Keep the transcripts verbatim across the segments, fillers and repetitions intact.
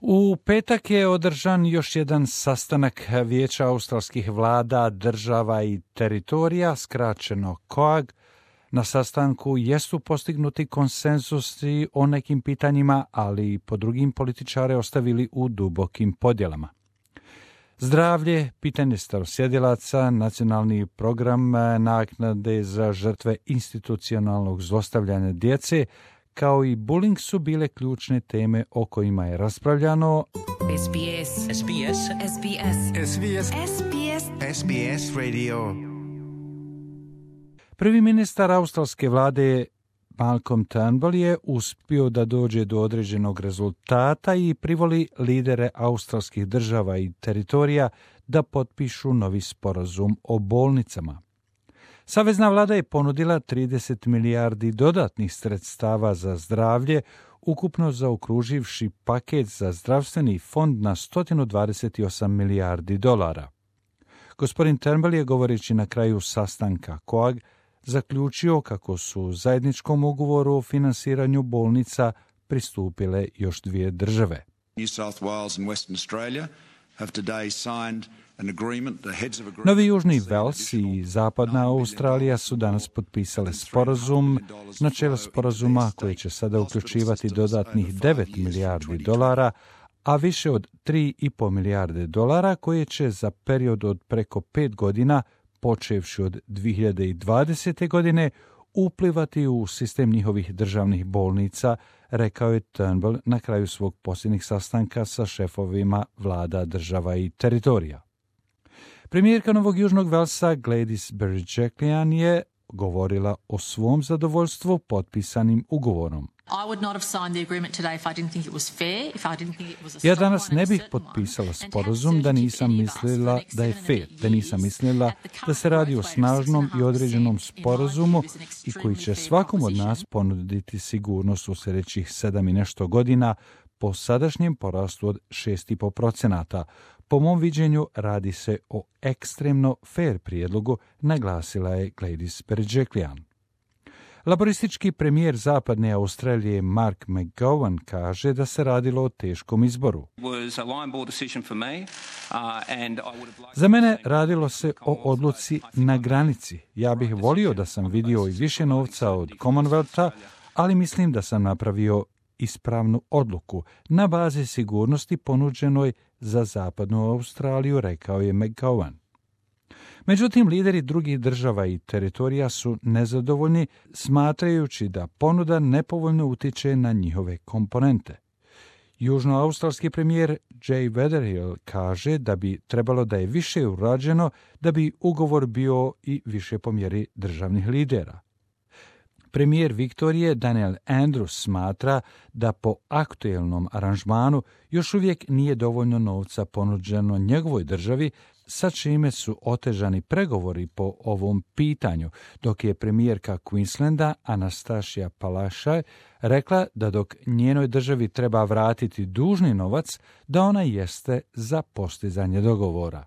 U petak je održan još jedan sastanak Vijeća australskih vlada, država i teritorija, skraćeno C O A G. Na sastanku jesu postignuti konsenzusi o nekim pitanjima, ali po drugim političare ostavili u dubokim podjelama. Zdravlje, pitanje starosjedilaca, nacionalni program naknade za žrtve institucionalnog zlostavljanja djece, kao i bullying su bile ključne teme o kojima je raspravljano. S B S. S B S. S B S. S B S. S B S. S B S Radio. Prvi ministar australske vlade Malcolm Turnbull je uspio da dođe do određenog rezultata i privoli lidere australskih država i teritorija da potpišu novi sporazum o bolnicama. Savezna vlada je ponudila trideset milijardi dodatnih sredstava za zdravlje, ukupno zaokruživši paket za zdravstveni fond na sto dvadeset osam milijardi dolara. Gospodin Turnbull je, govoreći na kraju sastanka C O A G, zaključio kako su zajedničkom ugovoru o finansiranju bolnica pristupile još dvije države. New South Wales and Western Australia have today signed an agreement, the heads of agreement. Novi Južni Vels i Zapadna Australija su danas potpisale sporazum, načelo sporazuma koji će sada uključivati dodatnih devet milijardi dolara, a više od tri i pol milijarde dolara koje će za period od preko pet godina, počevši od dvije hiljade dvadesete. godine, uplivati u sistem njihovih državnih bolnica, rekao je Turnbull na kraju svog posljednjeg sastanka sa šefovima vlada, država i teritorija. Premijerka Novog Južnog Velsa Gladys Berejiklian je govorila o svom zadovoljstvu potpisanim ugovorom. Ja danas ne bih potpisala sporazum da nisam mislila da je fair, da nisam mislila da se radi o snažnom i određenom sporazumu i koji će svakom od nas ponuditi sigurnost u sljedećih sedam i nešto godina po sadašnjem porastu od šest i pol procenata. Po mom viđenju radi se o ekstremno fair prijedlogu, naglasila je Gladys Berejiklian. Laboristički premijer Zapadne Australije Mark McGowan kaže da se radilo o teškom izboru. Za mene radilo se o odluci na granici. Ja bih volio da sam vidio i više novca od Commonwealtha, ali mislim da sam napravio ispravnu odluku na bazi sigurnosti ponuđenoj za Zapadnu Australiju, rekao je McGowan. Međutim, lideri drugih država i teritorija su nezadovoljni, smatrajući da ponuda nepovoljno utiče na njihove komponente. Južnoaustralski premijer Jay Weatherill kaže da bi trebalo da je više urađeno da bi ugovor bio i više po mjeri državnih lidera. Premijer Viktorije Daniel Andrews smatra da po aktuelnom aranžmanu još uvijek nije dovoljno novca ponuđeno njegovoj državi, sa čime su otežani pregovori po ovom pitanju, dok je premijerka Queenslanda Anastasia Palaszczuk rekla da dok njenoj državi treba vratiti dužni novac, da ona jeste za postizanje dogovora.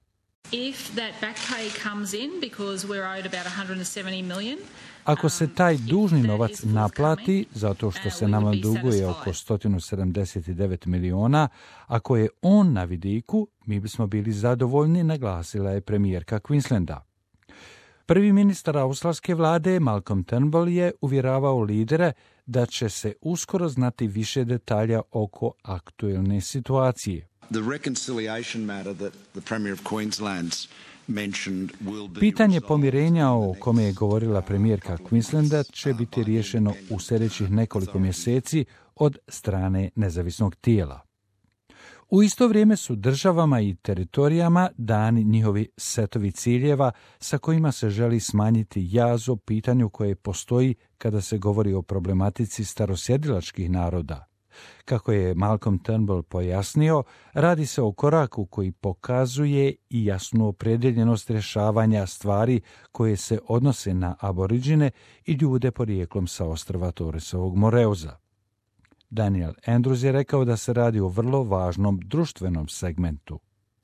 If that back pay comes in because we're owed about one hundred seventy million. Ako se taj dužni novac naplati, zato što se nama duguje oko sto sedamdeset devet miliona, ako je on na vidiku, mi bismo bili zadovoljni, naglasila je premijerka Queenslanda. Prvi ministar australske vlade Malcolm Turnbull je uvjeravao lidere da će se uskoro znati više detalja oko aktuelne situacije. The reconciliation matter that the Premier of Queensland's mentioned will be Pitanje pomirenja o kome je govorila premijerka Queenslanda će biti riješeno u sljedećih nekoliko mjeseci od strane nezavisnog tijela. U isto vrijeme su državama i teritorijama dani njihovi setovi ciljeva sa kojima se želi smanjiti jaz o pitanju koje postoji kada se govori o problematici starosjedilačkih naroda. Kako je Malcolm Turnbull pojasnio, radi se o koraku koji pokazuje i jasnu opredjeljenost rješavanja stvari koje se odnose na aboriđine i ljude porijeklom sa ostrva Torresovog Moreuza. Daniel Andrews je rekao da se radi o vrlo važnom društvenom segmentu.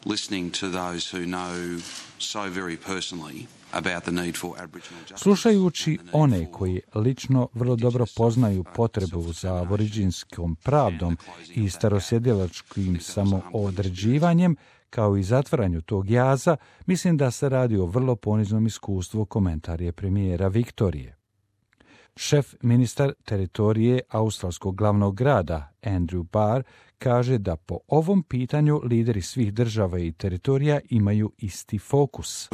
Listening to those who know so very personally about the need for Aboriginal justice. Slušajući one koji lično vrlo dobro poznaju potrebu za aboriđinskom pravdom i starosjedilačkim samoodređivanjem, kao i zatvaranju tog jaza, mislim da se radi o vrlo poniznom iskustvu, komentar je premijera Viktorije. Šef ministar teritorije australskog glavnog grada, Andrew Barr, kaže da po ovom pitanju lideri svih država i teritorija imaju isti fokus.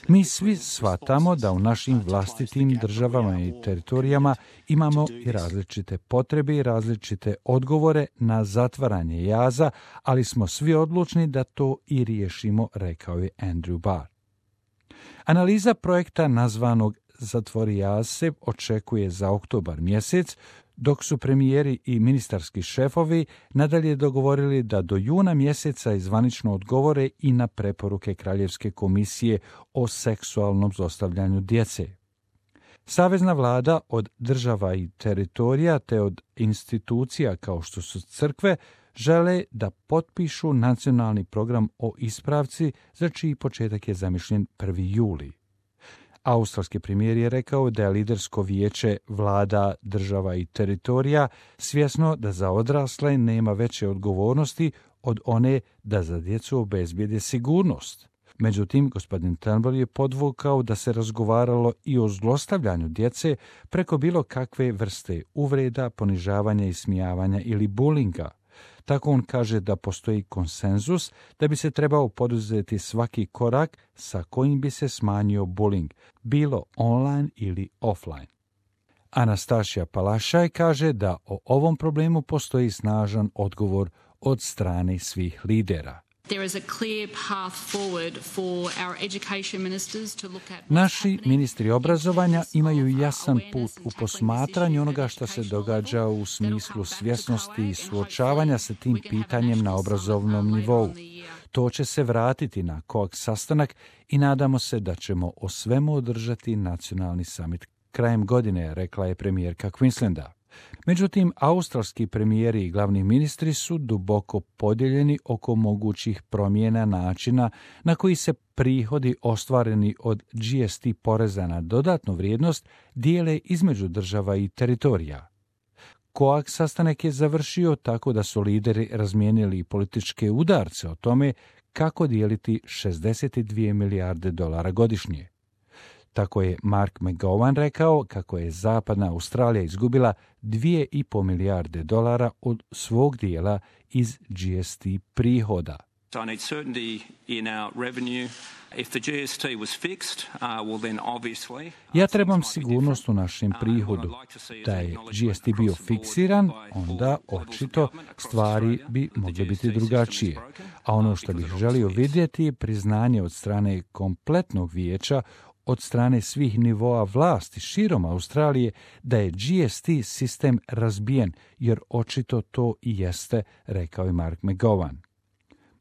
Mi svi shvatamo da u našim vlastitim državama i teritorijama imamo i različite potrebe i različite odgovore na zatvaranje jaza, ali smo svi odlučni da to i riješimo, rekao je Andrew Barr. Analiza projekta nazvanog Zatvori jaz se očekuje za oktobar mjesec, dok su premijeri i ministarski šefovi nadalje dogovorili da do juna mjeseca izvanično odgovore i na preporuke Kraljevske komisije o seksualnom zlostavljanju djece. Savezna vlada od država i teritorija te od institucija kao što su crkve žele da potpišu nacionalni program o ispravci za čiji početak je zamišljen prvi juli. Australski premijer je rekao da je lidersko vijeće vlada, država i teritorija svjesno da za odrasle nema veće odgovornosti od one da za djecu obezbijede sigurnost. Međutim, gospodin Turnbull je podvukao da se razgovaralo i o zlostavljanju djece preko bilo kakve vrste uvreda, ponižavanja, ismijavanja ili bulinga. Tako on kaže da postoji konsenzus da bi se trebao poduzeti svaki korak sa kojim bi se smanjio bullying, bilo online ili offline. Anastasia Palaszczuk kaže da o ovom problemu postoji snažan odgovor od strane svih lidera. Naši ministri obrazovanja imaju jasan put u posmatranju onoga što se događa u smislu svjesnosti i suočavanja sa tim pitanjem na obrazovnom nivou. To će se vratiti na koak sastanak i nadamo se da ćemo o svemu održati nacionalni summit krajem godine, rekla je premijerka Queenslanda. Međutim, australski premijeri i glavni ministri su duboko podijeljeni oko mogućih promjena načina na koji se prihodi ostvareni od G S T poreza na dodatnu vrijednost dijele između država i teritorija. Koak sastanak je završio tako da su lideri razmijenili političke udarce o tome kako dijeliti šezdeset dvije milijarde dolara godišnje. Tako je Mark McGowan rekao kako je Zapadna Australija izgubila dvije i pol milijarde dolara od svog dijela iz G S T prihoda. Ja trebam sigurnost u našem prihodu. Da je G S T bio fiksiran, onda očito stvari bi mogle biti drugačije. A ono što bih želio vidjeti je priznanje od strane kompletnog vijeća, od strane svih nivoa vlasti širom Australije, da je G S T sistem razbijen, jer očito to i jeste, rekao je Mark McGowan.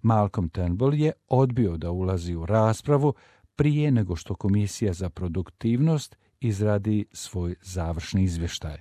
Malcolm Turnbull je odbio da ulazi u raspravu prije nego što Komisija za produktivnost izradi svoj završni izvještaj.